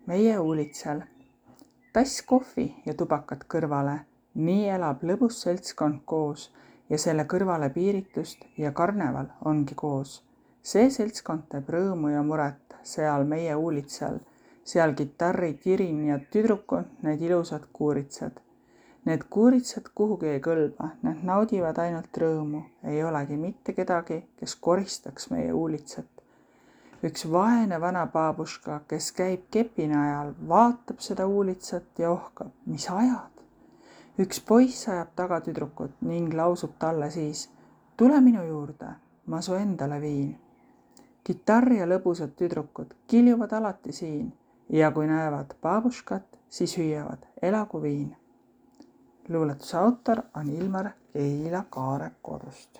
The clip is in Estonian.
meie uulitsal. Tass kohvi ja tubakat kõrvale, nii elab lõbus seltskond koos ja selle kõrvale piiritust ja karneval ongi koos. See seltskond teeb rõõmu ja muret seal meie uulitsal, seal kitarri kirin ja tüdrukud, need ilusad kuuritsad. Need kuuritsad kuhugi ei kõlba, need naudivad ainult rõõmu, ei olegi mitte kedagi, kes koristaks meie uulitsat. Üks vaene vana baabuška, kes käib kepina ajal, vaatab seda uulitsat ja ohkab, mis ajad. Üks poiss ajab taga tüdrukut ning lausub talle siis, tule minu juurde, ma su endale viin. Kitarr ja lõbusad tüdrukud kiljuvad alati siin ja kui näevad baabuškat, siis hüüavad, elagu viin. Luuletuse autor on Ilmar Keila Kaare kodust.